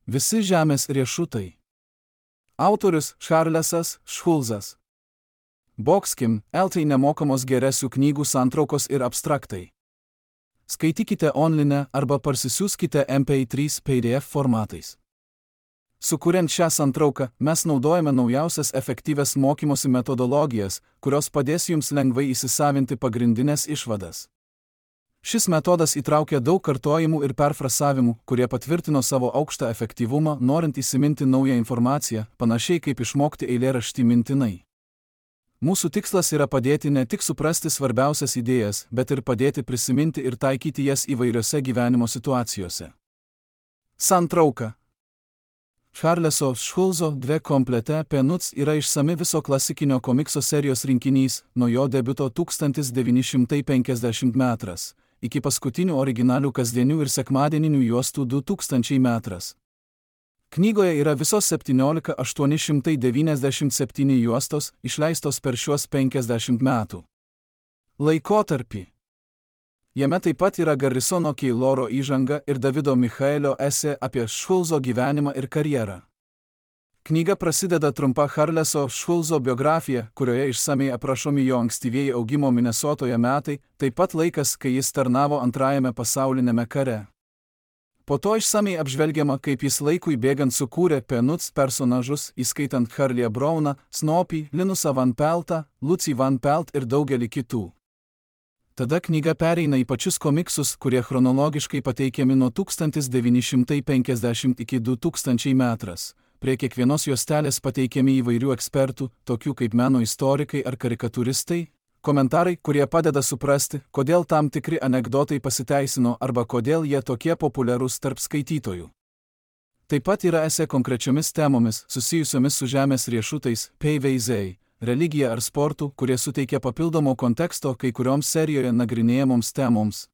Visi žemės riešutai. Autorius Charlesas Schulzas. Boxkim, LT nemokamos geresių knygų santraukos ir abstraktai. Skaitykite online arba parsisiųskite MP3 PDF formatais. Sukuriant šią santrauką, mes naudojame naujausias efektyvias mokymosi metodologijas, kurios padės jums lengvai įsisavinti pagrindinės išvadas. Šis metodas įtraukia daug kartojimų ir perfrasavimų, kurie patvirtino savo aukštą efektyvumą, norint įsiminti naują informaciją, panašiai kaip išmokti eilėraštį mintinai. Mūsų tikslas yra padėti ne tik suprasti svarbiausias idėjas, bet ir padėti prisiminti ir taikyti jas įvairiose gyvenimo situacijose. Santrauka. Charleso Schulzo Dve komplete penuts yra išsami viso klasikinio komikso serijos rinkinys, nuo jo debiuto 1950 metras, iki paskutinių originalių kasdienių ir sekmadieninių juostų 2000 metras. Knygoje yra visos 17,897 juostos, išleistos per šiuos 50 metų laikotarpį. Jame taip pat yra Garrisono Keiloro įžanga ir Davido Michaelio esė apie Schulzo gyvenimą ir karjerą. Knyga prasideda trumpa Charleso Schulzo biografija, kurioje išsamiai aprašomi jo ankstyvieji augimo Minesotoje metai, taip pat laikas, kai jis tarnavo Antrajame pasauliniame kare. Po to išsamiai apžvelgiama, kaip jis laikui bėgant sukūrė Penuts personažus, įskaitant Charlie Browną, Snoopy, Linusą Van Peltą, Lucy Van Pelt ir daugelį kitų. Tada knyga pereina į pačius komiksus, kurie chronologiškai pateikiami nuo 1950 iki 2000 metras. Prie kiekvienos juostelės pateikiami įvairių ekspertų, tokių kaip meno istorikai ar karikatūristai, komentarai, kurie padeda suprasti, kodėl tam tikri anekdotai pasiteisino arba kodėl jie tokie populiarūs tarp skaitytojų. Taip pat yra esė konkrečiomis temomis, susijusiomis su žemės riešutais, PVZ, religija ar sportu, kurie suteikia papildomo konteksto kai kurioms serijoje nagrinėjamoms temoms.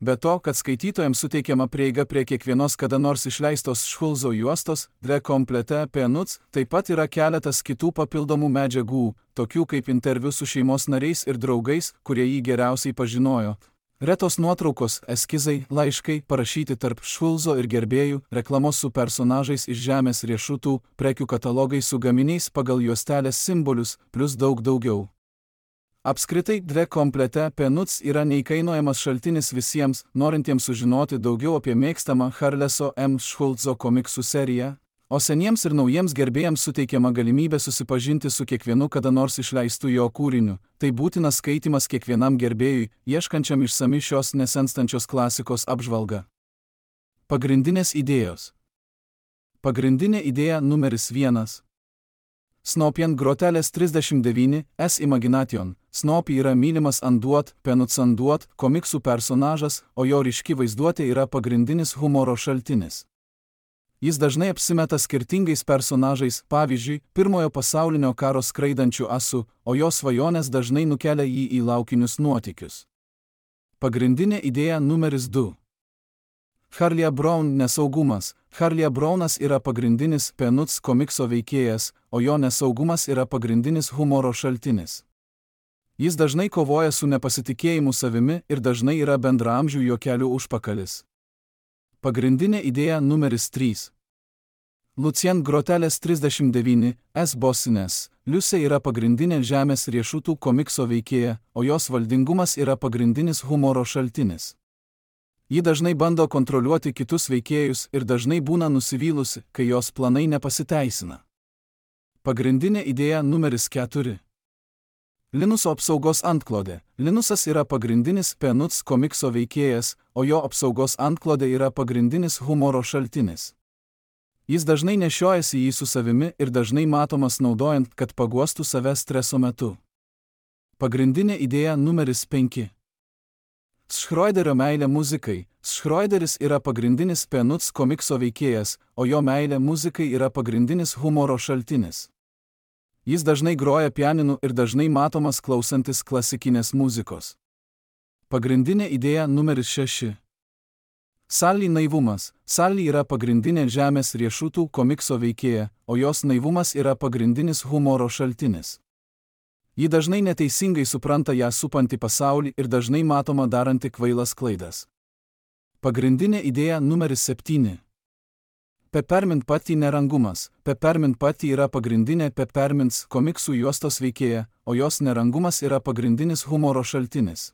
Be to, kad skaitytojams suteikiama prieiga prie kiekvienos kada nors išleistos Schulzo juostos, Dve komplete penuts, taip pat yra keletas kitų papildomų medžiagų, tokių kaip interviu su šeimos nariais ir draugais, kurie jį geriausiai pažinojo. Retos nuotraukos, eskizai, laiškai, parašyti tarp Schulzo ir gerbėjų, reklamos su personažais iš žemės riešutų, prekių katalogai su gaminiais pagal juostelės simbolius, plus daug daugiau. Apskritai, Dve komplete penuts yra neįkainojamas šaltinis visiems, norintiems sužinoti daugiau apie mėgstamą Charleso M. Schulzo komiksų seriją, o seniems ir naujiems gerbėjams suteikiama galimybė susipažinti su kiekvienu kada nors išleistu jo kūriniu. Tai būtinas skaitymas kiekvienam gerbėjui, ieškančiam išsami šios nesenstančios klasikos apžvalgą. Pagrindinės idėjos. Pagrindinė idėja numeris 1. Snoopy ant grotelės 39, S Imagination. Snoopy yra mylimas Anduot, Penuts Anduot, komiksų personažas, o jo ryški vaizduotė yra pagrindinis humoro šaltinis. Jis dažnai apsimeta skirtingais personažais, pavyzdžiui, Pirmojo pasaulinio karo skraidančių asų, o jo svajonės dažnai nukelia jį į laukinius nuotykius. Pagrindinė idėja numeris 2. Charlie Brown nesaugumas. Charlie Brownas yra pagrindinis Penuts komikso veikėjas, o jo nesaugumas yra pagrindinis humoro šaltinis. Jis dažnai kovoja su nepasitikėjimu savimi ir dažnai yra bendraamžių juokelių užpakalis. Pagrindinė idėja numeris 3. Lucien grotelės 39, S Bosines. Liusė yra pagrindinė žemės riešutų komikso veikėja, o jos valdingumas yra pagrindinis humoro šaltinis. Ji dažnai bando kontroliuoti kitus veikėjus ir dažnai būna nusivylusi, kai jos planai nepasiteisina. Pagrindinė idėja numeris 4. Linuso apsaugos antklodė. Linusas yra pagrindinis Penuts komikso veikėjas, o jo apsaugos antklodė yra pagrindinis humoro šaltinis. Jis dažnai nešiojasi jį su savimi ir dažnai matomas naudojant, kad paguostų save streso metu. Pagrindinė idėja numeris 5. Schroederio meilė muzikai. Schroederis yra pagrindinis Penuts komikso veikėjas, o jo meilė muzikai yra pagrindinis humoro šaltinis. Jis dažnai groja pianinu ir dažnai matomas klausantis klasikinės muzikos. Pagrindinė idėja numeris 6. Sally naivumas. Sally yra pagrindinė žemės riešutų komikso veikėja, o jos naivumas yra pagrindinis humoro šaltinis. Ji dažnai neteisingai supranta ją supantį pasaulį ir dažnai matoma daranti kvailas klaidas. Pagrindinė idėja numeris 7. Peppermint Patty nerangumas. Peppermint Patty yra pagrindinė Peppermints komiksų juostos veikėja, o jos nerangumas yra pagrindinis humoro šaltinis.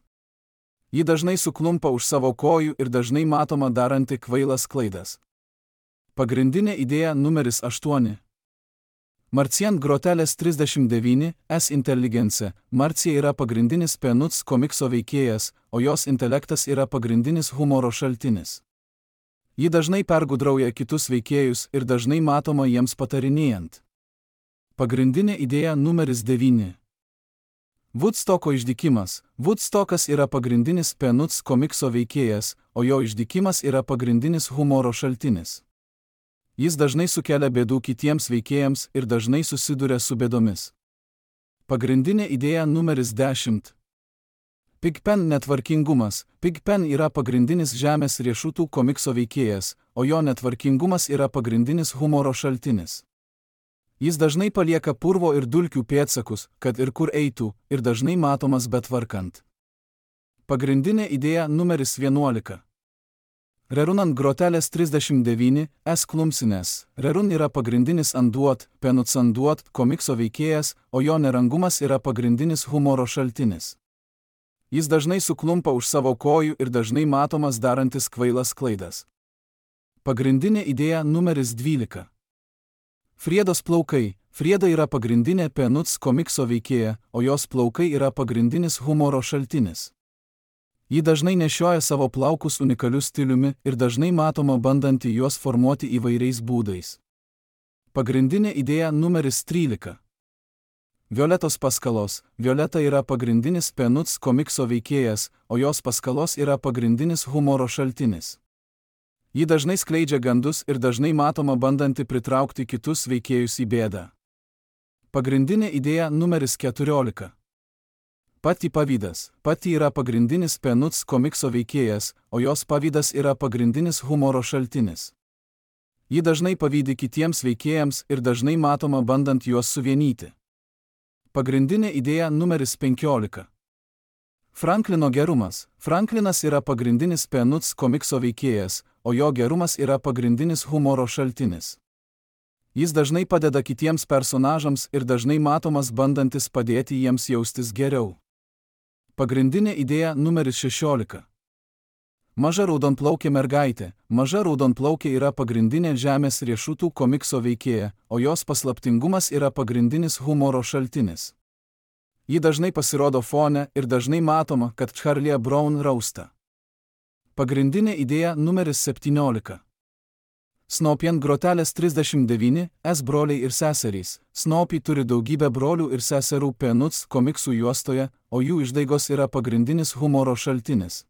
Ji dažnai suklumpa už savo kojų ir dažnai matoma daranti kvailas klaidas. Pagrindinė idėja numeris 8. Marcian Grotelės 39, S Intelligence. Marcija yra pagrindinis Peanuts komikso veikėjas, o jos intelektas yra pagrindinis humoro šaltinis. Ji dažnai pergudrauja kitus veikėjus ir dažnai matoma jiems patarinėjant. Pagrindinė idėja numeris 9. Woodstocko išdykimas. Woodstockas yra pagrindinis Peanuts komikso veikėjas, o jo išdykimas yra pagrindinis humoro šaltinis. Jis dažnai sukelia bėdų kitiems veikėjams ir dažnai susiduria su bėdomis. Pagrindinė idėja numeris 10. Pigpen netvarkingumas. Pigpen yra pagrindinis žemės riešutų komikso veikėjas, o jo netvarkingumas yra pagrindinis humoro šaltinis. Jis dažnai palieka purvo ir dulkių pėdsakus, kad ir kur eitų, ir dažnai matomas betvarkant. Pagrindinė idėja numeris 11. Rerun ant Grotelės 39, S Klumpsines. Rerun yra pagrindinis Anduot, Peanuts Anduot komikso veikėjas, o jo nerangumas yra pagrindinis humoro šaltinis. Jis dažnai suklumpa už savo kojų ir dažnai matomas darantis kvailas klaidas. Pagrindinė idėja numeris 12. Friedos plaukai. Frieda yra pagrindinė Peanuts komikso veikėja, o jos plaukai yra pagrindinis humoro šaltinis. Ji dažnai nešioja savo plaukus unikaliu stiliumi ir dažnai matoma bandanti juos formuoti įvairiais būdais. Pagrindinė idėja numeris 13. Violetos paskalos. Violeta yra pagrindinis Peanuts komikso veikėjas, o jos paskalos yra pagrindinis humoro šaltinis. Ji dažnai skleidžia gandus ir dažnai matoma bandanti pritraukti kitus veikėjus į bėdą. Pagrindinė idėja numeris 14. Patty pavydas. Patty yra pagrindinis Peanuts komikso veikėjas, o jos pavydas yra pagrindinis humoro šaltinis. Ji dažnai pavydi kitiems veikėjams ir dažnai matoma bandant juos suvienyti. Pagrindinė idėja numeris 15. Franklino gerumas. Franklinas yra pagrindinis Peanuts komikso veikėjas, o jo gerumas yra pagrindinis humoro šaltinis. Jis dažnai padeda kitiems personažams ir dažnai matomas bandantis padėti jiems jaustis geriau. Pagrindinė idėja numeris 16. Maža raudonplaukė mergaitė. Maža raudonplaukė yra pagrindinė žemės riešutų komikso veikėja, o jos paslaptingumas yra pagrindinis humoro šaltinis. Ji dažnai pasirodo fone ir dažnai matoma, kad Charlie Brown rausta. Pagrindinė idėja numeris 17. Snoopy ant Grotelės 39, S broliai ir seserys. Snoopy turi daugybę brolių ir seserų Peanuts komiksų juostoje, o jų išdaigos yra pagrindinis humoro šaltinis.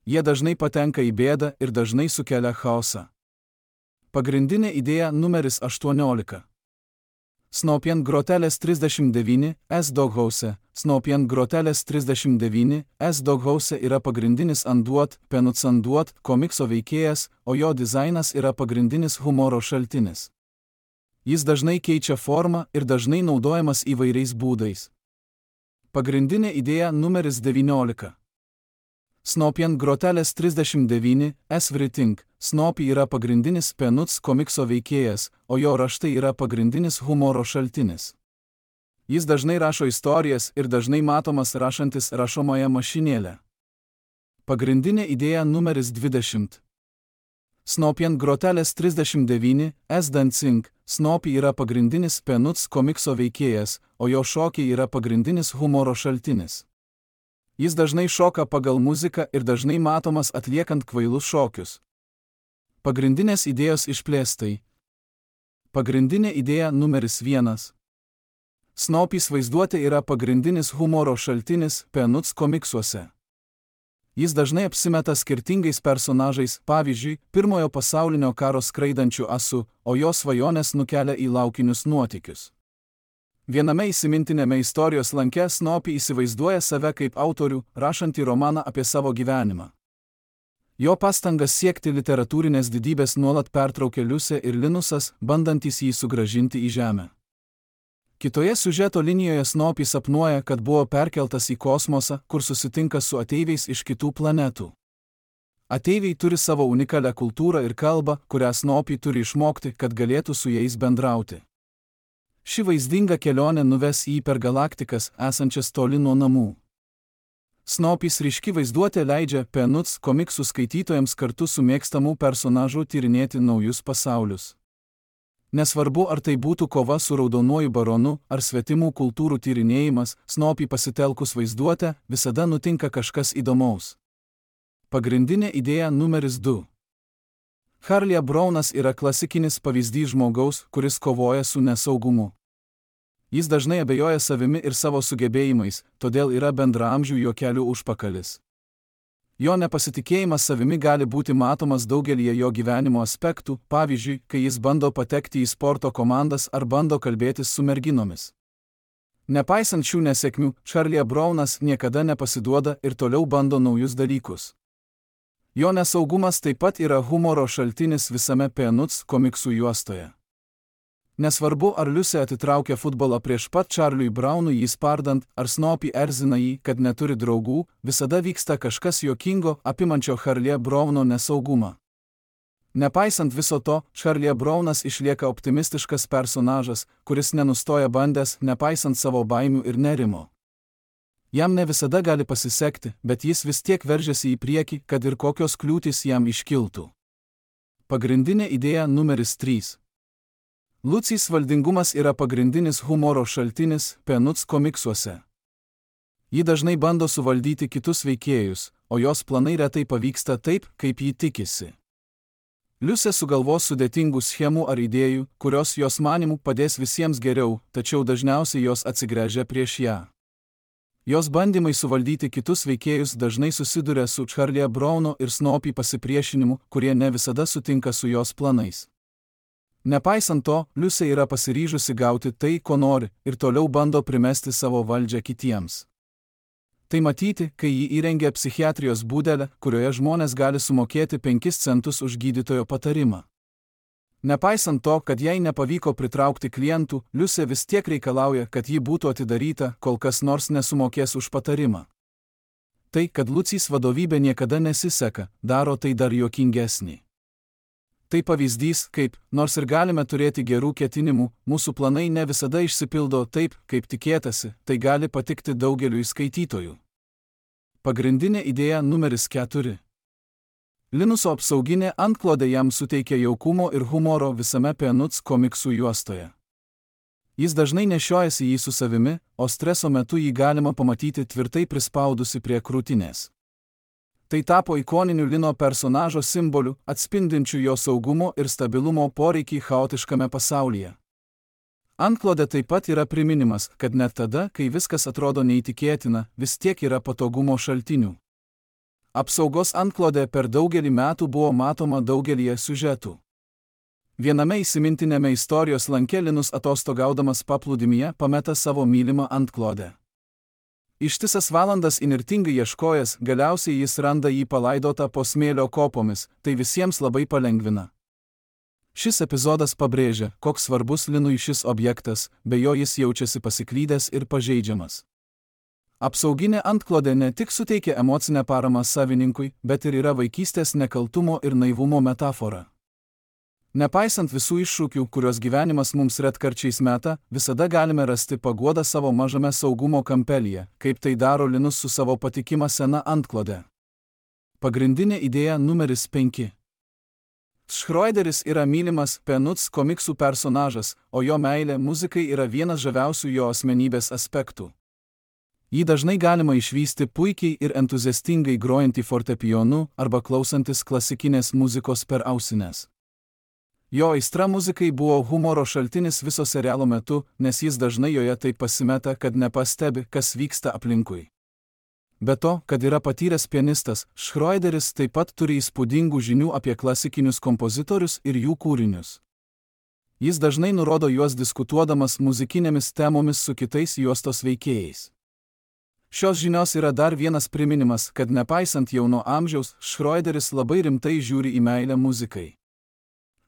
Jie dažnai patenka į bėdą ir dažnai sukelia chaosą. Pagrindinė idėja numeris 18. Snoopy ant Grotelės 39, S Doghouse. Snoopy ant Grotelės 39, S Doghouse yra pagrindinis Anduot, Peanuts Anduot komikso veikėjas, o jo dizainas yra pagrindinis humoro šaltinis. Jis dažnai keičia formą ir dažnai naudojamas įvairiais būdais. Pagrindinė idėja numeris 19. Snoopy ant Grotelės 39, S Everything. Snoopy yra pagrindinis Peanuts komikso veikėjas, o jo raštai yra pagrindinis humoro šaltinis. Jis dažnai rašo istorijas ir dažnai matomas rašantis rašomąją mašinėlę. Pagrindinė idėja numeris 20. Snoopy ant Grotelės 39, S Dancing. Snoopy yra pagrindinis Peanuts komikso veikėjas, o jo šokiai yra pagrindinis humoro šaltinis. Jis dažnai šoka pagal muziką ir dažnai matomas atliekant kvailus šokius. Pagrindinės idėjos išplėstai. Pagrindinė idėja numeris 1. Snoopys vaizduotė yra pagrindinis humoro šaltinis Peanuts komiksuose. Jis dažnai apsimeta skirtingais personažais, pavyzdžiui, Pirmojo pasaulinio karo skraidančių asu, o jo svajonės nukelia į laukinius nuotykius. Viename įsimintinėme istorijos lanke Snoopy įsivaizduoja save kaip autorių, rašantį romaną apie savo gyvenimą. Jo pastangas siekti literatūrinės didybės nuolat pertraukia Liusė ir Linusas, bandantys jį sugrąžinti į žemę. Kitoje siužeto linijoje Snoopy sapnuoja, kad buvo perkeltas į kosmosą, kur susitinka su ateiviais iš kitų planetų. Ateiviai turi savo unikalią kultūrą ir kalbą, kurią Snoopy turi išmokti, kad galėtų su jais bendrauti. Ši vaizdinga kelionė nuves jį per galaktikas, esančias toli nuo namų. Snoopys ryški vaizduotė leidžia Peanuts komiksų skaitytojams kartu su mėgstamų personažų tyrinėti naujus pasaulius. Nesvarbu, ar tai būtų kova su raudonuoju baronu, ar svetimų kultūrų tyrinėjimas, Snoopy pasitelkus vaizduotę, visada nutinka kažkas įdomaus. Pagrindinė idėja numeris 2. Charlie Brownas yra klasikinis pavyzdys žmogaus, kuris kovoja su nesaugumu. Jis dažnai abejoja savimi ir savo sugebėjimais, todėl yra bendraamžių juokelių užpakalis. Jo nepasitikėjimas savimi gali būti matomas daugelyje jo gyvenimo aspektų, pavyzdžiui, kai jis bando patekti į sporto komandas ar bando kalbėtis su merginomis. Nepaisant šių nesėkmių, Charlie Brownas niekada nepasiduoda ir toliau bando naujus dalykus. Jo nesaugumas taip pat yra humoro šaltinis visame Peanuts komiksų juostoje. Nesvarbu, ar Liusė atitraukia futbolą prieš pat Charliui Brownui jį spardant, ar Snoopy erzina jį, kad neturi draugų, visada vyksta kažkas juokingo, apimančio Charlie Browno nesaugumą. Nepaisant viso to, Charlie Brownas išlieka optimistiškas personažas, kuris nenustoja bandęs, nepaisant savo baimių ir nerimo. Jam ne visada gali pasisekti, bet jis vis tiek veržiasi į priekį, kad ir kokios kliūtys jam iškiltų. Pagrindinė idėja numeris 3. Lucys valdingumas yra pagrindinis humoro šaltinis Peanuts komiksuose. Ji dažnai bando suvaldyti kitus veikėjus, o jos planai retai pavyksta taip, kaip ji tikisi. Liusė sugalvos sudėtingų schemų ar idėjų, kurios jos manimų padės visiems geriau, tačiau dažniausiai jos atsigręžia prieš ją. Jos bandymai suvaldyti kitus veikėjus dažnai susiduria su Charlie Browno ir Snoopy pasipriešinimu, kurie ne visada sutinka su jos planais. Nepaisant to, Liusė yra pasiryžusi gauti tai, ko nori, ir toliau bando primesti savo valdžią kitiems. Tai matyti, kai ji įrengia psichiatrijos būdelę, kurioje žmonės gali sumokėti 5 centus už gydytojo patarimą. Nepaisant to, kad jai nepavyko pritraukti klientų, Liusė vis tiek reikalauja, kad ji būtų atidaryta, kol kas nors nesumokės už patarimą. Tai, kad Lucys vadovybė niekada nesiseka, daro tai dar juokingesnį. Tai pavyzdys, kaip, nors ir galime turėti gerų ketinimų, mūsų planai ne visada išsipildo taip, kaip tikėtasi, tai gali patikti daugeliui skaitytojų. Pagrindinė idėja numeris 4. Linuso apsauginė antklodė jam suteikia jaukumo ir humoro visame Peanuts komiksų juostoje. Jis dažnai nešiojasi jį su savimi, o streso metu jį galima pamatyti tvirtai prispaudusi prie krūtinės. Tai tapo ikoniniu Lino personažo simboliu, atspindinčiu jo saugumo ir stabilumo poreikį chaotiškame pasaulyje. Antklodė taip pat yra priminimas, kad net tada, kai viskas atrodo neįtikėtina, vis tiek yra patogumo šaltinių. Apsaugos antklodė per daugelį metų buvo matoma daugelyje siužetų. Viename įsimintinėme istorijos lanke Linus atostogaudamas paplūdimyje pameta savo mylimą antklodę. Ištisas valandas įnirtingai ieškojęs, galiausiai jis randa jį palaidotą po smėlio kopomis, tai visiems labai palengvina. Šis epizodas pabrėžia, koks svarbus Linui šis objektas, be jo jis jaučiasi pasiklydęs ir pažeidžiamas. Apsauginė antklodė ne tik suteikia emocinę paramą savininkui, bet ir yra vaikystės nekaltumo ir naivumo metafora. Nepaisant visų iššūkių, kuriuos gyvenimas mums retkarčiais meta, visada galime rasti paguodą savo mažame saugumo kampelyje, kaip tai daro Linus su savo patikima sena antklode. Pagrindinė idėja numeris 5. Schroederis yra mylimas Peanuts komiksų personažas, o jo meilė muzikai yra vienas žaviausių jo asmenybės aspektų. Jį dažnai galima išvysti puikiai ir entuziastingai grojantį fortepijonu arba klausantis klasikinės muzikos per ausines. Jo aistra muzikai buvo humoro šaltinis viso serialo metu, nes jis dažnai joje taip pasimeta, kad nepastebi, kas vyksta aplinkui. Be to, kad yra patyręs pianistas, Schroederis taip pat turi įspūdingų žinių apie klasikinius kompozitorius ir jų kūrinius. Jis dažnai nurodo juos diskutuodamas muzikinėmis temomis su kitais juostos veikėjais. Šios žinios yra dar vienas priminimas, kad nepaisant jauno amžiaus, Schroederis labai rimtai žiūri į meilę muzikai.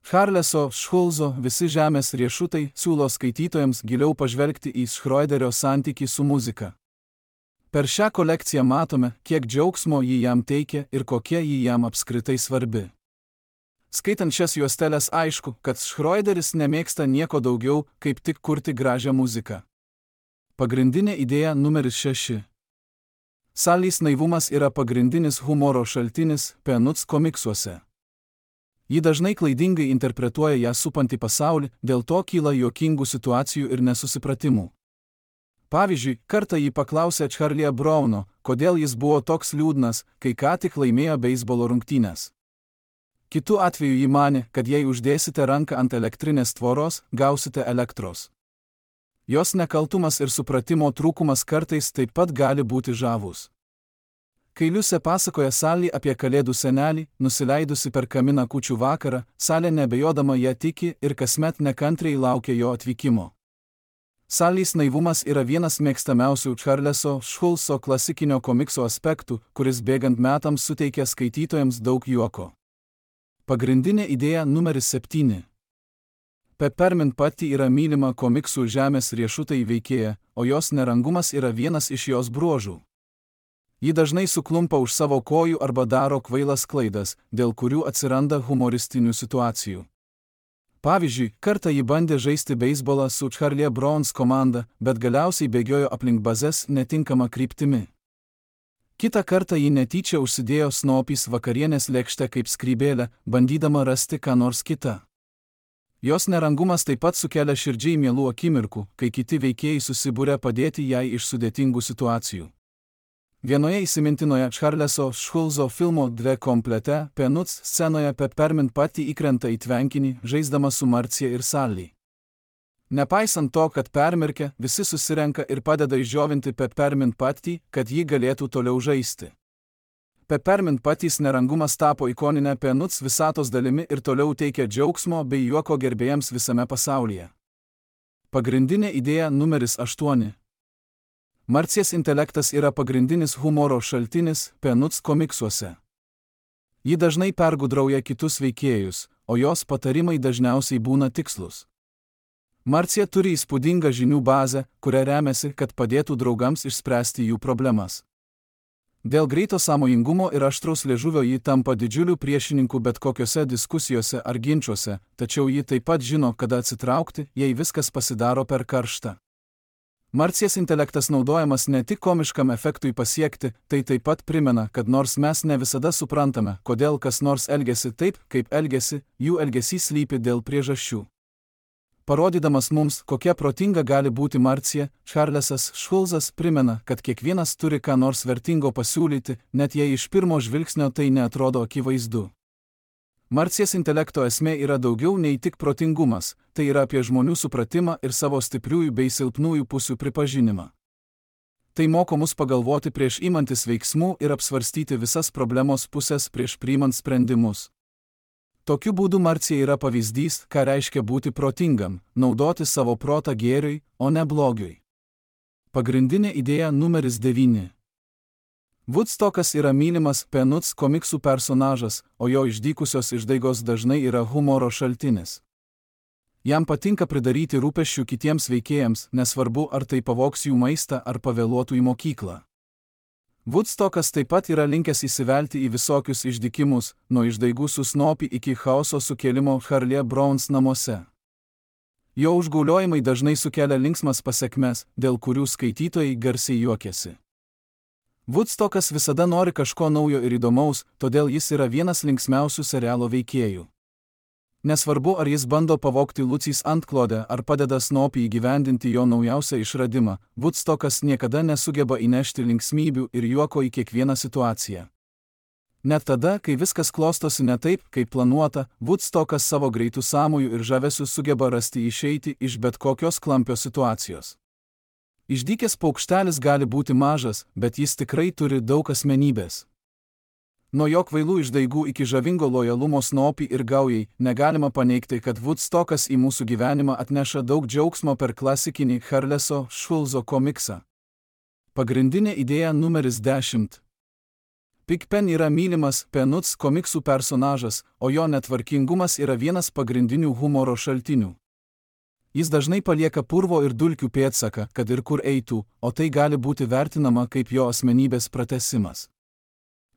Charleso Schulzo Visi žemės riešutai siūlo skaitytojams giliau pažvelgti į Schroederio santykį su muzika. Per šią kolekciją matome, kiek džiaugsmo ji jam teikia ir kokia ji jam apskritai svarbi. Skaitant šias juosteles aišku, kad Schroederis nemėgsta nieko daugiau, kaip tik kurti gražią muziką. Pagrindinė idėja numeris 6. Sally's naivumas yra pagrindinis humoro šaltinis Peanuts komiksuose. Ji dažnai klaidingai interpretuoja ją supantį pasaulį, dėl to kyla juokingų situacijų ir nesusipratimų. Pavyzdžiui, kartą ji paklausė Charlie Browno, kodėl jis buvo toks liūdnas, kai ką tik laimėjo beisbolo rungtynes. Kitu atveju ji manė, kad jei uždėsite ranką ant elektrinės tvoros, gausite elektros. Jos nekaltumas ir supratimo trūkumas kartais taip pat gali būti žavūs. Kai Liusė pasakoja Sally apie kalėdų senelį, nusileidusi per kaminą kūčių vakarą, Sally nebejodama ją tiki ir kasmet nekantriai laukia jo atvykimo. Sally's naivumas yra vienas mėgstamiausių Charleso Schulzo klasikinio komikso aspektų, kuris bėgant metams suteikia skaitytojams daug juoko. Pagrindinė idėja numeris 7. Peppermint Patty yra mylima komiksų Žemės riešutai veikėja, o jos nerangumas yra vienas iš jos bruožų. Ji dažnai suklumpa už savo kojų arba daro kvailas klaidas, dėl kurių atsiranda humoristinių situacijų. Pavyzdžiui, kartą ji bandė žaisti beisbolą su Charlie Browns komanda, bet galiausiai bėgiojo aplink bazes netinkama kryptimi. Kitą kartą ji netyčia užsidėjo Snoopys vakarienės lėkštę kaip skrybėlę, bandydama rasti ką nors kitą. Jos nerangumas taip pat sukelia širdžiai mielų akimirkų, kai kiti veikėjai susibūrė padėti jai iš sudėtingų situacijų. Vienoje įsimintinoje Charleso Schulzo filmo Dve komplete Peanuts scenoje Peppermint Patty įkrenta į tvenkinį, žaisdama su Marcia ir Sally. Nepaisant to, kad permirkę, visi susirenka ir padeda išdžiovinti Peppermint Patty, kad ji galėtų toliau žaisti. Peppermint Patty's nerangumas tapo ikoninę Peanuts visatos dalimi ir toliau teikia džiaugsmo bei juoko gerbėjams visame pasaulyje. Pagrindinė idėja numeris 8. Marcijos intelektas yra pagrindinis humoro šaltinis Peanuts komiksuose. Ji dažnai pergudrauja kitus veikėjus, o jos patarimai dažniausiai būna tikslus. Marcija turi įspūdingą žinių bazę, kuria remiasi, kad padėtų draugams išspręsti jų problemas. Dėl greito sąmojingumo ir aštraus liežuvio ji tampa didžiuliu priešininku bet kokiose diskusijose ar ginčiuose, tačiau ji taip pat žino, kada atsitraukti, jei viskas pasidaro per karšta. Marcijos intelektas naudojamas ne tik komiškam efektui pasiekti, tai taip pat primena, kad nors mes ne visada suprantame, kodėl kas nors elgiasi taip, kaip elgiasi, jų elgesys slypi dėl priežasčių. Parodydamas mums, kokia protinga gali būti Marcija, Charlesas Schulzas primena, kad kiekvienas turi ką nors vertingo pasiūlyti, net jei iš pirmo žvilgsnio tai neatrodo akivaizdu. Marcijos intelekto esmė yra daugiau nei tik protingumas, tai yra apie žmonių supratimą ir savo stipriųjų bei silpnųjų pusių pripažinimą. Tai moko mus pagalvoti prieš imantis veiksmų ir apsvarstyti visas problemos pusės prieš priimant sprendimus. Tokiu būdu Marcija yra pavyzdys, ką reiškia būti protingam, naudoti savo protą gėriui, o ne blogiui. Pagrindinė idėja numeris 9. Woodstockas yra mylimas Peanuts komiksų personažas, o jo išdykusios išdaigos dažnai yra humoro šaltinis. Jam patinka pridaryti rūpesčių kitiems veikėjams, nesvarbu ar tai pavogs jų maistą ar pavėluotų į mokyklą. Woodstockas taip pat yra linkęs įsivelti į visokius išdykimus, nuo išdaigų su Snoopy iki chaoso sukėlimo Charlie Browns namuose. Jo užgauliojimai dažnai sukelia linksmas pasekmes, dėl kurių skaitytojai garsiai juokiasi. Woodstockas visada nori kažko naujo ir įdomaus, todėl jis yra vienas linksmiausių serialo veikėjų. Nesvarbu, ar jis bando pavogti Lucys antklodę ar padeda Snoopy įgyvendinti jo naujausią išradimą, Woodstockas niekada nesugeba įnešti linksmybių ir juoko į kiekvieną situaciją. Net tada, kai viskas klostosi ne taip, kaip planuota, Woodstockas savo greitų sąmojų ir žavesių sugeba rasti išeiti iš bet kokios klampios situacijos. Išdykęs paukštelis gali būti mažas, bet jis tikrai turi daug asmenybės. Nuo jo kvailų išdaigų iki žavingo lojalumo Snoopy ir gaujai, negalima paneigti, kad Woodstockas į mūsų gyvenimą atneša daug džiaugsmo per klasikinį Charleso Schulzo komiksą. Pagrindinė idėja numeris 10. Pigpen yra mylimas Peanuts komiksų personažas, o jo netvarkingumas yra vienas pagrindinių humoro šaltinių. Jis dažnai palieka purvo ir dulkių pėdsaką, kad ir kur eitų, o tai gali būti vertinama kaip jo asmenybės pratęsimas.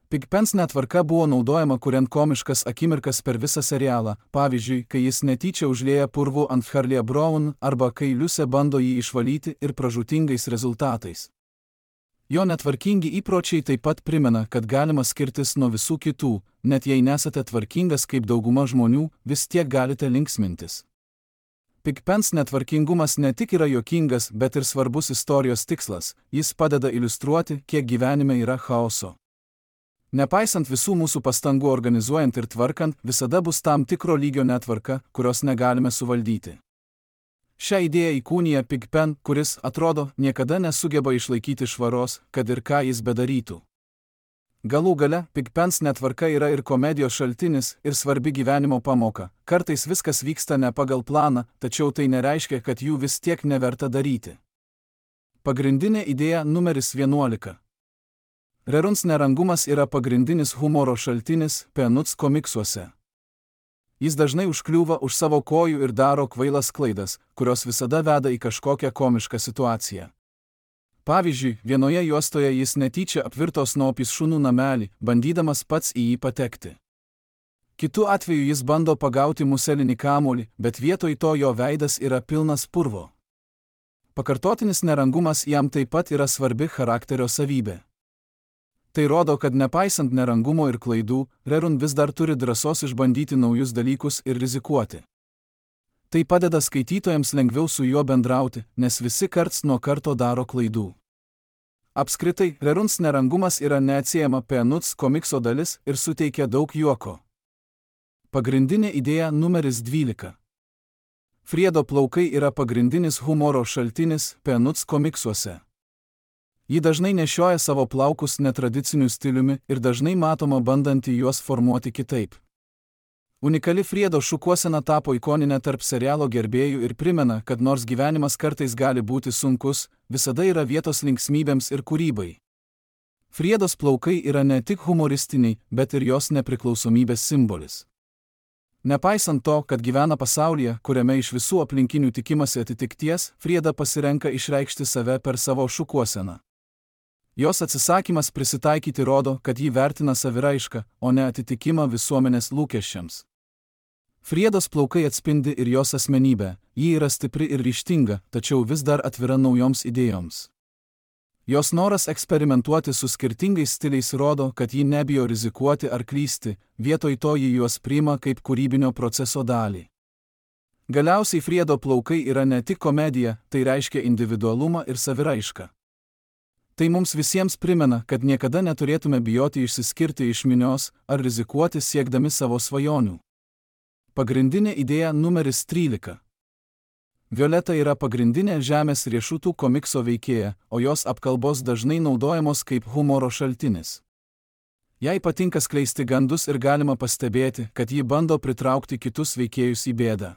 Pigpens netvarka buvo naudojama kuriant komiškas akimirkas per visą serialą, pavyzdžiui, kai jis netyčia užlieja purvų ant Charlie Brown arba kai Liusė bando jį išvalyti ir pražūtingais rezultatais. Jo netvarkingi įpročiai taip pat primena, kad galima skirtis nuo visų kitų, net jei nesate tvarkingas kaip dauguma žmonių, vis tiek galite linksmintis. Pigpens netvarkingumas ne tik yra juokingas, bet ir svarbus istorijos tikslas, jis padeda iliustruoti, kiek gyvenime yra chaoso. Nepaisant visų mūsų pastangų organizuojant ir tvarkant, visada bus tam tikro lygio netvarka, kurios negalime suvaldyti. Šią idėją įkūnija Pigpen, kuris, atrodo, niekada nesugeba išlaikyti švaros, kad ir ką jis bedarytų. Galų gale, Pigpens netvarka yra ir komedijos šaltinis, ir svarbi gyvenimo pamoka. Kartais viskas vyksta ne pagal planą, tačiau tai nereiškia, kad jų vis tiek neverta daryti. Pagrindinė idėja numeris 11. Reruns nerangumas yra pagrindinis humoro šaltinis Peanuts komiksuose. Jis dažnai užkliūva už savo kojų ir daro kvailas klaidas, kurios visada veda į kažkokią komišką situaciją. Pavyzdžiui, vienoje juostoje jis netyčia apvirto Snoopys šunų namelį, bandydamas pats į jį patekti. Kitu atveju jis bando pagauti muselinį kamuolį, bet vietoj to jo veidas yra pilnas purvo. Pakartotinis nerangumas jam taip pat yra svarbi charakterio savybė. Tai rodo, kad nepaisant nerangumo ir klaidų, Rerun vis dar turi drąsos išbandyti naujus dalykus ir rizikuoti. Tai padeda skaitytojams lengviau su juo bendrauti, nes visi karts nuo karto daro klaidų. Apskritai, Reruns nerangumas yra neatsiejama Peanuts komikso dalis ir suteikia daug juoko. Pagrindinė idėja numeris 12. Friedo plaukai yra pagrindinis humoro šaltinis Peanuts komiksuose. Ji dažnai nešioja savo plaukus netradiciniu stiliumi ir dažnai matoma bandanti juos formuoti kitaip. Unikali Friedo šukuosena tapo ikoninė tarp serialo gerbėjų ir primena, kad nors gyvenimas kartais gali būti sunkus, visada yra vietos linksmybėms ir kūrybai. Friedos plaukai yra ne tik humoristiniai, bet ir jos nepriklausomybės simbolis. Nepaisant to, kad gyvena pasaulyje, kuriame iš visų aplinkinių tikimasi atitikties, Frieda pasirenka išreikšti save per savo šukuoseną. Jos atsisakymas prisitaikyti rodo, kad ji vertina saviraišką, o ne atitikimą visuomenės lūkesčiams. Friedos plaukai atspindi ir jos asmenybę, ji yra stipri ir ryžtinga, tačiau vis dar atvira naujoms idėjoms. Jos noras eksperimentuoti su skirtingais stiliais rodo, kad ji nebijo rizikuoti ar klysti, vietoj to ji juos priima kaip kūrybinio proceso dalį. Galiausiai Friedo plaukai yra ne tik komedija, tai reiškia individualumą ir saviraišką. Tai mums visiems primena, kad niekada neturėtume bijoti išsiskirti iš minios ar rizikuoti siekdami savo svajonių. Pagrindinė idėja numeris 13. Violeta yra pagrindinė žemės riešutų komikso veikėja, o jos apkalbos dažnai naudojamos kaip humoro šaltinis. Jai patinka skleisti gandus ir galima pastebėti, kad ji bando pritraukti kitus veikėjus į bėdą.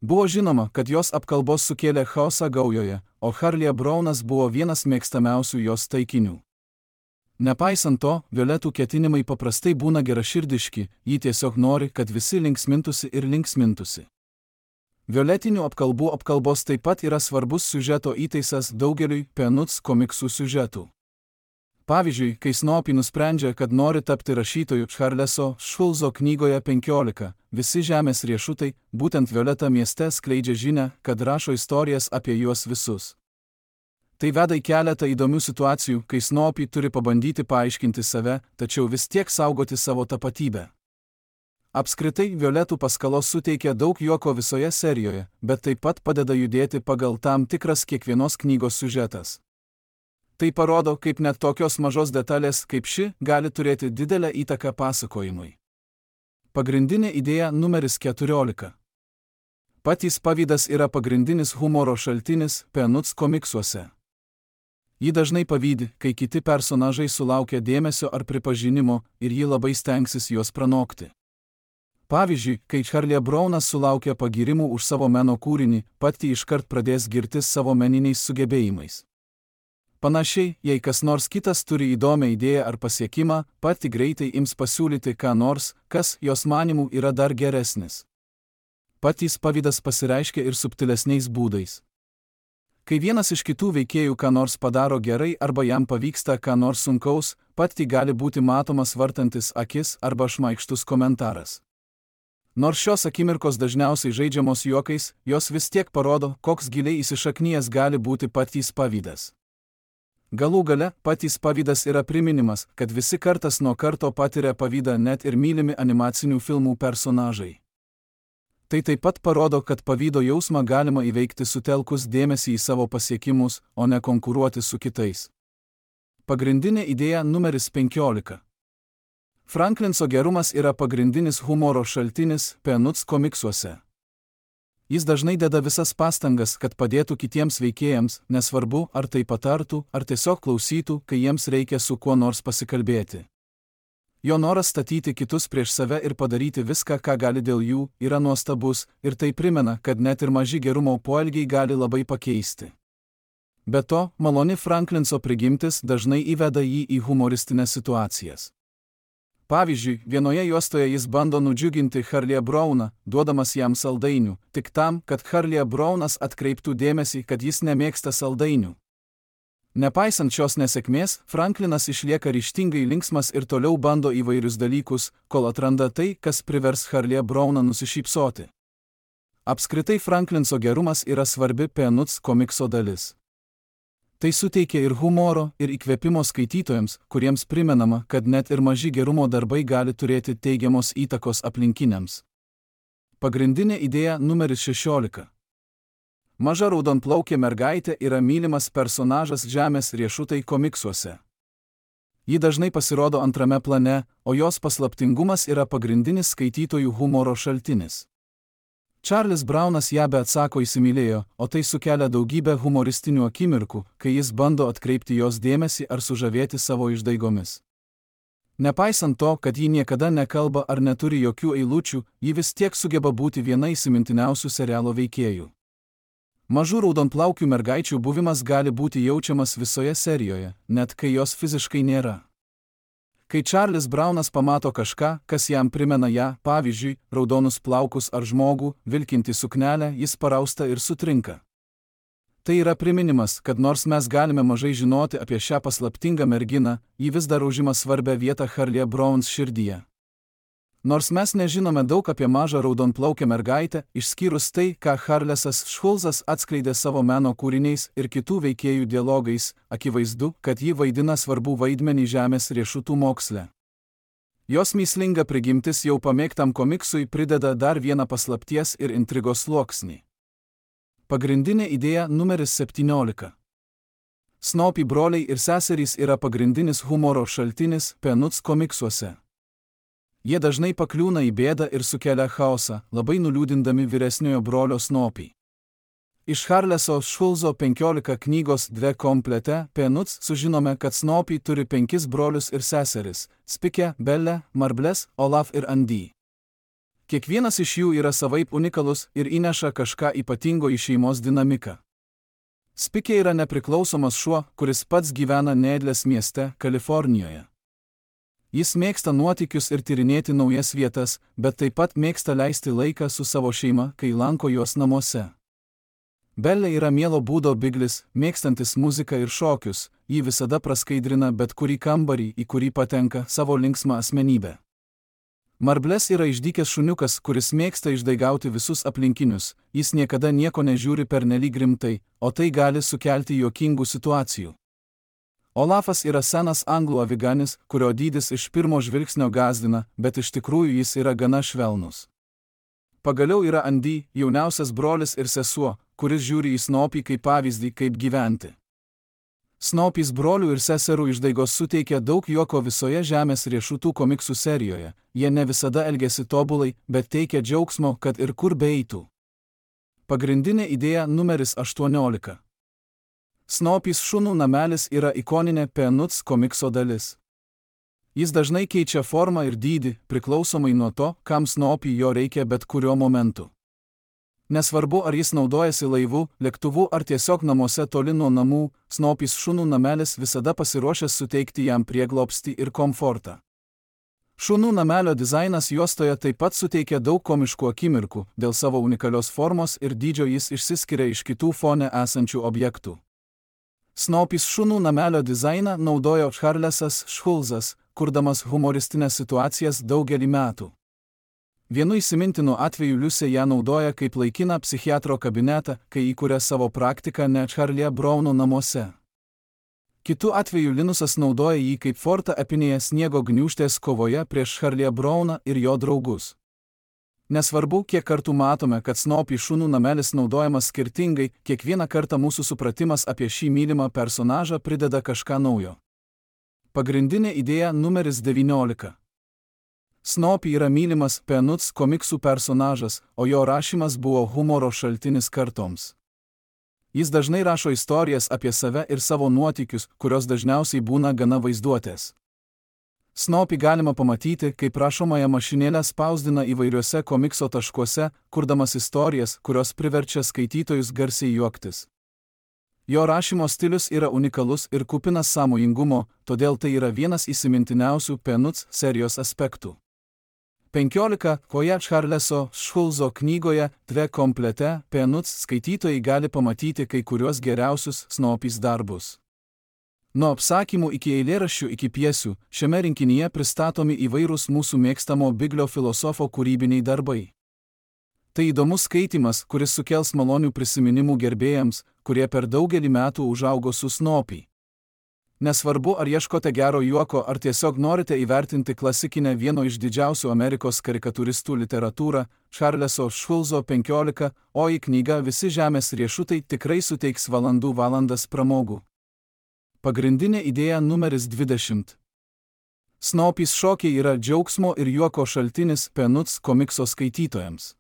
Buvo žinoma, kad jos apkalbos sukėlė chaosą gaujoje, o Charlie Brownas buvo vienas mėgstamiausių jos taikinių. Nepaisant to, Violetų ketinimai paprastai būna geraširdiški, ji tiesiog nori, kad visi linksmintųsi ir linksmintųsi. Violetinių apkalbų apkalbos taip pat yra svarbus siužeto įtaisas daugeliui Peanuts komiksų siužetų. Pavyzdžiui, kai Snoopy nusprendžia, kad nori tapti rašytoju Charleso Schulzo knygoje 15, visi žemės riešutai, būtent Violeta mieste skleidžia žinią, kad rašo istorijas apie juos visus. Tai veda į keletą įdomių situacijų, kai Snoopy turi pabandyti paaiškinti save, tačiau vis tiek saugoti savo tapatybę. Apskritai, Violetų paskalos suteikia daug juoko visoje serijoje, bet taip pat padeda judėti pagal tam tikras kiekvienos knygos siužetas. Tai parodo, kaip net tokios mažos detalės kaip ši gali turėti didelę įtaką pasakojimui. Pagrindinė idėja numeris 14. Patys pavydas yra pagrindinis humoro šaltinis Peanuts komiksuose. Ji dažnai pavydi, kai kiti personažai sulaukia dėmesio ar pripažinimo ir ji labai stengsis juos pranokti. Pavyzdžiui, kai Charlie Brownas sulaukia pagyrimų už savo meno kūrinį, pati iškart pradės girtis savo meniniais sugebėjimais. Panašiai, jei kas nors kitas turi įdomią idėją ar pasiekimą, pati greitai ims pasiūlyti ką nors, kas jos manimų yra dar geresnis. patys pavydas pasireiškia ir subtilesniais būdais. Kai vienas iš kitų veikėjų ką nors padaro gerai arba jam pavyksta ką nors sunkaus, patį gali būti matomas vartantis akis arba šmaikštus komentaras. Nors šios akimirkos dažniausiai žaidžiamos juokais, jos vis tiek parodo, koks giliai įsišaknijęs gali būti patys pavydas. Galų gale, patys pavydas yra priminimas, kad visi kartas nuo karto patiria pavydą net ir mylimi animacinių filmų personažai. Tai taip pat parodo, kad pavydo jausmą galima įveikti sutelkus dėmesį į savo pasiekimus, o ne konkuruoti su kitais. Pagrindinė idėja numeris 15. Franklinso gerumas yra pagrindinis humoro šaltinis Peanuts komiksuose. Jis dažnai deda visas pastangas, kad padėtų kitiems veikėjams, nesvarbu, ar tai patartų, ar tiesiog klausytų, kai jiems reikia su kuo nors pasikalbėti. Jo noras statyti kitus prieš save ir padaryti viską, ką gali dėl jų, yra nuostabus, ir tai primena, kad net ir maži gerumo poelgiai gali labai pakeisti. Be to, maloni Franklinso prigimtis dažnai įveda jį į humoristinės situacijas. Pavyzdžiui, vienoje juostoje jis bando nudžiuginti Charlie'ą Browną, duodamas jam saldainių, tik tam, kad Charlie'as Brownas atkreiptų dėmesį, kad jis nemėgsta saldainių. Nepaisant šios nesėkmės, Franklinas išlieka ryžtingai linksmas ir toliau bando įvairius dalykus, kol atranda tai, kas privers Charlie'ą Browną nusišypsoti. Apskritai Franklinso gerumas yra svarbi Peanuts komikso dalis. Tai suteikia ir humoro, ir įkvėpimo skaitytojams, kuriems primenama, kad net ir maži gerumo darbai gali turėti teigiamos įtakos aplinkiniams. Pagrindinė idėja numeris 16. Maža raudonplaukė mergaitė yra mylimas personažas Žemės riešutai komiksuose. Ji dažnai pasirodo antrame plane, o jos paslaptingumas yra pagrindinis skaitytojų humoro šaltinis. Charlis Brownas ją be atsako įsimylėjo, o tai sukelia daugybę humoristinių akimirkų, kai jis bando atkreipti jos dėmesį ar sužavėti savo išdaigomis. Nepaisant to, kad ji niekada nekalba ar neturi jokių eilučių, ji vis tiek sugeba būti viena įsimintiniausių serialo veikėjų. Mažų raudonplaukių mergaičių buvimas gali būti jaučiamas visoje serijoje, net kai jos fiziškai nėra. Kai Charlis Brownas pamato kažką, kas jam primena ją, pavyzdžiui, raudonus plaukus ar žmogų, vilkintį suknelę, jis parausta ir sutrinka. Tai yra priminimas, kad nors mes galime mažai žinoti apie šią paslaptingą merginą, ji vis dar užima svarbią vietą Charlie'o Browns širdyje. Nors mes nežinome daug apie mažą raudonplaukę mergaitę, išskyrus tai, ką Charlesas Schulzas atskleidė savo meno kūriniais ir kitų veikėjų dialogais, akivaizdu, kad ji vaidina svarbų vaidmenį Žemės riešutų moksle. Jos mįslinga prigimtis jau pamėgtam komiksui prideda dar vieną paslapties ir intrigos sluoksnį. Pagrindinė idėja numeris 17. Snoopy broliai ir seserys yra pagrindinis humoro šaltinis Peanuts komiksuose. Jie dažnai pakliūna į bėdą ir sukelia chaosą, labai nuliūdindami vyresniojo brolio Snoopy. Iš Charleso Schulzo 15 knygos 2 komplete Peanuts sužinome, kad Snoopy turi 5 brolius ir seseris – Spikę, Bellę, Marbles, Olaf ir Andy. Kiekvienas iš jų yra savaip unikalus ir įneša kažką ypatingo į šeimos dinamiką. Spikė yra nepriklausomas šuo, kuris pats gyvena Needlės mieste, Kalifornijoje. Jis mėgsta nuotykius ir tyrinėti naujas vietas, bet taip pat mėgsta leisti laiką su savo šeima, kai lanko juos namuose. Bellė yra mielo būdo biglis, mėgstantis muziką ir šokius, jį visada praskaidrina bet kurį kambarį, į kurį patenka savo linksmą asmenybę. Marbles yra išdykęs šuniukas, kuris mėgsta išdaigauti visus aplinkinius, jis niekada nieko nežiūri pernelyg rimtai, o tai gali sukelti juokingų situacijų. Olafas yra senas anglų aviganis, kurio dydis iš pirmo žvilgsnio gąsdina, bet iš tikrųjų jis yra gana švelnus. Pagaliau yra Andy, jauniausias brolis ir sesuo, kuris žiūri į Snoopy kaip pavyzdį, kaip gyventi. Snoopys brolių ir seserų išdaigos suteikia daug juoko visoje Žemės riešutų komiksų serijoje, jie ne visada elgiasi tobulai, bet teikia džiaugsmo, kad ir kur beeitų. Pagrindinė idėja numeris 18. Snoopys šunų namelis yra ikoninė Peanuts komikso dalis. Jis dažnai keičia formą ir dydį, priklausomai nuo to, kam Snoopy jo reikia bet kuriuo momentu. Nesvarbu, ar jis naudojasi laivu, lėktuvu ar tiesiog namuose toli nuo namų, Snoopys šunų namelis visada pasiruošęs suteikti jam prieglobstį ir komfortą. Šunų namelio dizainas juostoje taip pat suteikia daug komiškų akimirkų, dėl savo unikalios formos ir dydžio jis išsiskiria iš kitų fone esančių objektų. Snoopys šunų namelio dizainą naudojo Charlesas Schulzas, kurdamas humoristinės situacijas daugelį metų. Vienu įsimintinu atveju Liusė ją naudoja kaip laikiną psichiatro kabinetą, kai įkuria savo praktiką ne Charlie Browno namuose. Kitu atveju Linusas naudoja jį kaip fortą epinėje sniego gniūžtės kovoje prieš Charlie Browną ir jo draugus. Nesvarbu, kiek kartų matome, kad Snoopy šunų namelis naudojamas skirtingai, kiekvieną kartą mūsų supratimas apie šį mylimą personažą prideda kažką naujo. Pagrindinė idėja numeris 19. Snoopy yra mylimas Peanuts komiksų personažas, o jo rašymas buvo humoro šaltinis kartoms. Jis dažnai rašo istorijas apie save ir savo nuotykius, kurios dažniausiai būna gana vaizduotės. Snoopy galima pamatyti, kaip rašomąją mašinėlę spausdina įvairiuose komikso taškuose, kurdamas istorijas, kurios priverčia skaitytojus garsiai juoktis. Jo rašymo stilius yra unikalus ir kupinas sąmojingumo, todėl tai yra vienas įsimintiniausių Peanuts serijos aspektų. 15. Koje Charleso Schulzo knygoje Dve komplete Peanuts skaitytojai gali pamatyti kai kuriuos geriausius Snoopys darbus. Nuo apsakymų iki eilėraščių iki pjesių, šiame rinkinyje pristatomi įvairūs mūsų mėgstamo Biglio filosofo kūrybiniai darbai. Tai įdomus skaitymas, kuris sukels malonių prisiminimų gerbėjams, kurie per daugelį metų užaugo su Snoopy. Nesvarbu, ar ieškote gero juoko, ar tiesiog norite įvertinti klasikinę vieno iš didžiausių Amerikos karikatūristų literatūrą, Charleso Schulzo 15, o į knygą Visi žemės riešutai tikrai suteiks valandas pramogų. Pagrindinė idėja numeris 20. Snoopys šokiai yra džiaugsmo ir juoko šaltinis Peanuts komikso skaitytojams.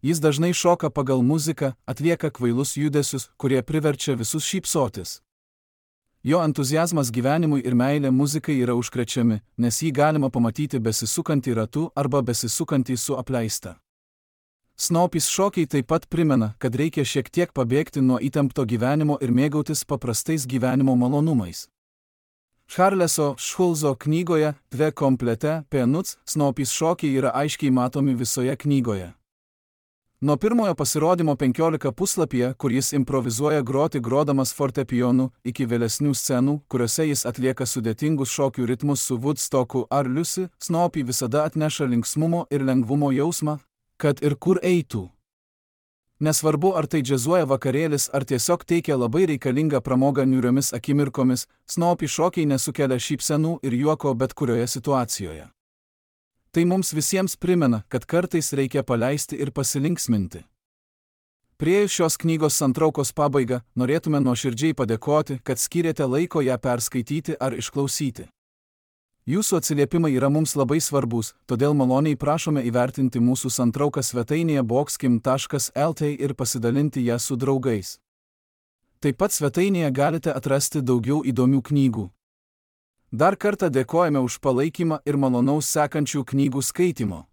Jis dažnai šoka pagal muziką, atlieka kvailus judesius, kurie priverčia visus šypsotis. Jo entuziazmas gyvenimui ir meilė muzikai yra užkrečiami, nes jį galima pamatyti besisukantį ratu arba besisukantį su apleista. Snoopys šokiai taip pat primena, kad reikia šiek tiek pabėgti nuo įtempto gyvenimo ir mėgautis paprastais gyvenimo malonumais. Charleso Schulzo knygoje Dve komplete Peanuts Snoopys šokiai yra aiškiai matomi visoje knygoje. Nuo pirmojo pasirodymo 15 puslapyje, kur jis improvizuoja groti grodamas fortepijonu, iki vėlesnių scenų, kuriuose jis atlieka sudėtingus šokių ritmus su Woodstocku ar Liusi, Snoopy visada atneša linksmumo ir lengvumo jausmą, kad ir kur eitų. Nesvarbu, ar tai džiazuoja vakarėlis, ar tiesiog teikia labai reikalingą pramogą niūriomis akimirkomis, Snoopy šokiai nesukelia šypsenų ir juoko bet kurioje situacijoje. Tai mums visiems primena, kad kartais reikia paleisti ir pasilinksminti. Priėjus šios knygos santraukos pabaigą, norėtume nuoširdžiai padėkoti, kad skyrėte laiko ją perskaityti ar išklausyti. Jūsų atsiliepimai yra mums labai svarbus, todėl maloniai prašome įvertinti mūsų santrauką svetainėje boxkim.lt ir pasidalinti ją su draugais. Taip pat svetainėje galite atrasti daugiau įdomių knygų. Dar kartą dėkojame už palaikymą ir malonaus sekančių knygų skaitimo.